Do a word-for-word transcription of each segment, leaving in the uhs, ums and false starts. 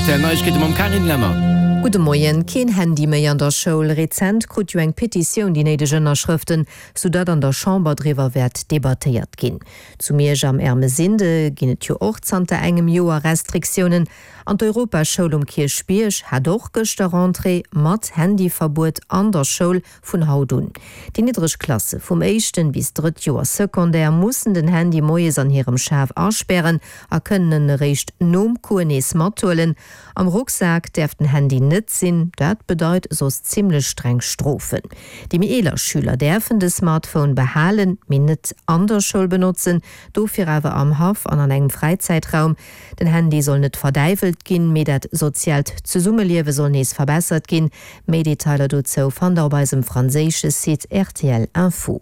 R T L Neiegkeete mam Carine Lemmer. Gudde Moien. Keen Handy méi an der Schoul. Rezent krut jo eng Petitioun déi néideg Ënnerschrëften, sou datt an der Chamber driwwer wäert debattéiert ginn. Zu Miersch am Ermesinde ginn et jo och zanter engem Joer Restriktiounen. An d'Europaschoul um Kierchbierg hat och gëschter Rentrée mat Handyverbuet an der Schoul vun haut un. Déi niddreg Klasse vum éischten bis drëtt Joer Secondaire mussen den Handy moies an hirem Schaf aspären a kënnen en eréischt nom Cours nees mathuelen. Am Rucksak däerf den Handy net sinn, dat bedeit soss zimmlech streng Strofen. Déi méi eeler Schüler däerfen de Smartphone behalen, mee net an der Schoul benotzen, dofir awer am Haff an an engem Fräizäitraum. Den Handy soll net verdäiwelt ginn, mee dat soziaalt Zesummeliewe soll nees verbessert ginn. Méi Detailer dozou fannt der op eisem franséische Site rtl Info.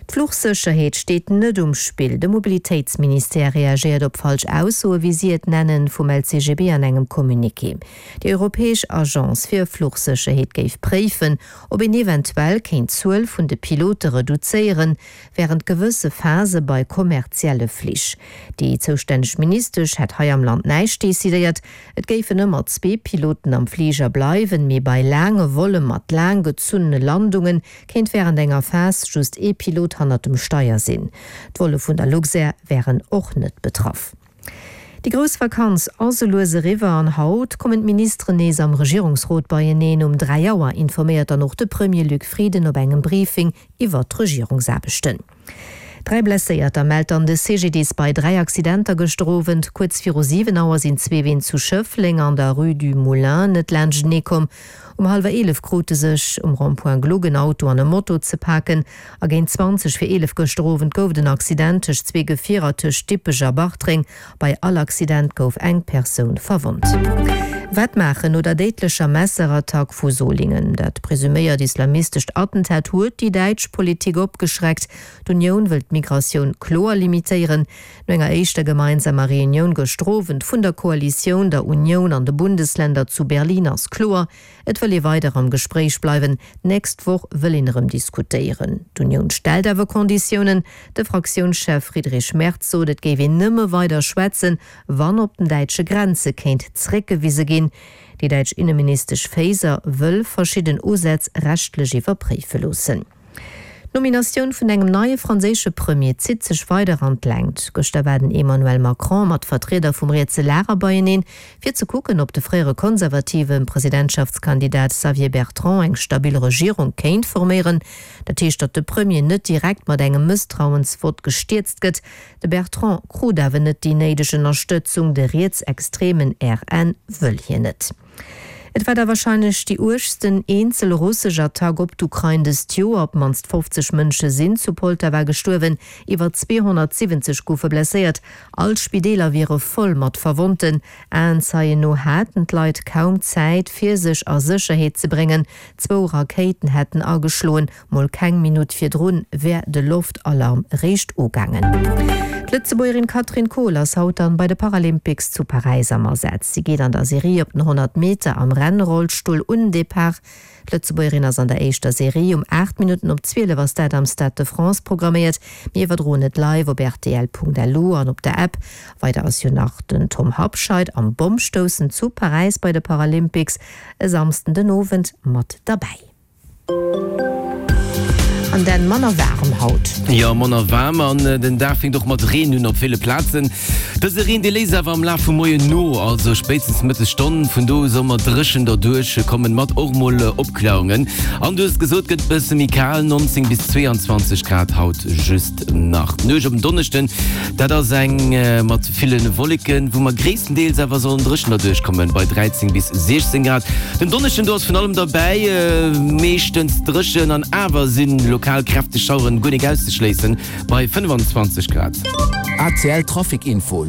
D'Fluchsécherheet steet net um Spill. De Mobilitéitsministère reagéiert op falsch Aussoe, wéi si et nennen, vum L C G B an engem Communiqué. Déi europäesch Agence fir Fluchsécherheet géif préifen, ob een eventuell kéint d'Zuel vun de Pilote reduzéieren, wärend gewësse Phase bei kommerzielle Flich. Déi zoustänneg Ministesch hätt hei am Land näischt decidéiert. Et géifen ëmmer zwee Piloten am Fliger bleiwen, mee bei laange Volle mat laang gezunnene Landunge kéint wärend enger Phas just ee Pilot hannert dem Steier sinn. D'Volle vun der Luxair wären och net betraff. Déi grouss Vakanz ass sou lues eriwwer an haut kommen d'Ministeren nees am Regierungsrot beieneen. Um dräi Auer informéiert dann och de Premier Luc Frieden op engem Briefing iwwer d'Regierungsaarbechten. Dräi Blesséierter mellt dann de C G D I S bei dräi Accidenter gëschter Owend. Kuerz viru siwen Auer sinn zwee Ween zu Schëffleng an der Rue du Moulin net laanschtenee komm. Um hallwer eelef krute sech um Rond-point Gluck en Auto an e Moto ze paken. A géint zwanzeg vir eelef gëschter Owend gouf et en Accident tëscht zwee Gefierer tëscht Dippech a Bartreng. Bei all Accident gouf eng Persoun verwonnt. Wat maachen no der déidlecher Messerattack vu Solingen? Dat presuméiert islamistescht Attentat huet déi däitsch Politik opgeschreckt. D'Unioun wëll d'Migratioun kloer limitéieren. No enger éischter gemeinsamer Reunioun gëschter Owend vun der Koalitioun, der Unioun an de Bundesländer zu Berlin ass kloer, Et wëll ee weider am Gespréich bleiwen. D'nächst Woch wëll een erëm diskutéieren. D'Unioun stellt awer Konditiounen. De Fraktiounschef Friedrich Merz sot, et géif een nëmme weider schwätzen, wann op den däitsche Grenze kéint zréckgewise ginn. Déi däitsch Inneministesch Faeser wëll verschidden Usätz rechtlech iwwerpréife loossen. D'Nominatioun vun engem neie franséische Premier zitt sech weider an d'Längt. Gëschter war den Emmanuel Macron mat Vertrieder vum rietse Lager beieneen, fir ze kucken, ob de fréiere konservative Presidentschaftskandidat Xavier Bertrand eng stabil Regierung kéint forméieren. Dat heescht, datt de Premier net direkt mat engem Mësstrauensvott gestierzt gëtt. De Bertrand krut awer net déi néideg Ënnerstëtzung, de rietsextremen R N wëll hien net. Et war da warscheinlech déi uergsten eenzel russesch Attack op d'Ukrain dëst Joer. Op d'mannst fofzeg Mënsche sinn zu Poltawa gestuerwen, iwwer zweehonnertsiwwenzeg goufe blesséiert. All Spideeler wiere voll mat Verwonnten. Aenzeien no haten d'Leit kaum Zäit, fir sech a Sécherheet ze bréngen. Zwou Rakéiten hätten ageschloen, mol keng Minutt virdrun wär de Loftalarm eréischt ugaangen. D'Lëtzebuergerin Katrin Kohl ass haut dann bei de Paralympics zu Paräis am Asaz. Si geet an der Serie op den honnert Meter am Rennrollstull un den Depart. D'Lëtzebuergerin ass an der éischter Serie um aacht Minutten op zwielef ass dat am Stade de France programméiert. Mir iwwerdroen et live op R T L Punkt L U an op der App. Weider ass jo nach den Tom Habscheid am Bommstoussen zu Paräis bei de Paralympics e Samschden den Owend mat derbäi. An dann manner waarm haut. Jo, manner waarm an den Dag fänkt och mat Reen un op ville Plazen. Dëse Reen dee léisst awer am Laf vum Moien no, also spéitstens Mëttesstonn. Vun do u soll mer dréchen derduerch kommen, mat och mol Opkläerungen. An du hues gesot, gëtt bësse méi kal, nonzéng bis zweeanzwanzeg Grad haut just nach. D'Nuecht op den Donneschden, dat ass eng mat ville Wolleken, wou mer gréisstendeels awer sollen dréchen derduerch kommen, bei dräizéng bis siechzéng Grad. Den Donneschden, do ass vun allem derbäi, meeschtens dréchen an awer si lokal kräfteg Schaueren guer nik auszeschléissen, bei fënnefanzwanzeg Grad. R T L Trafic Info.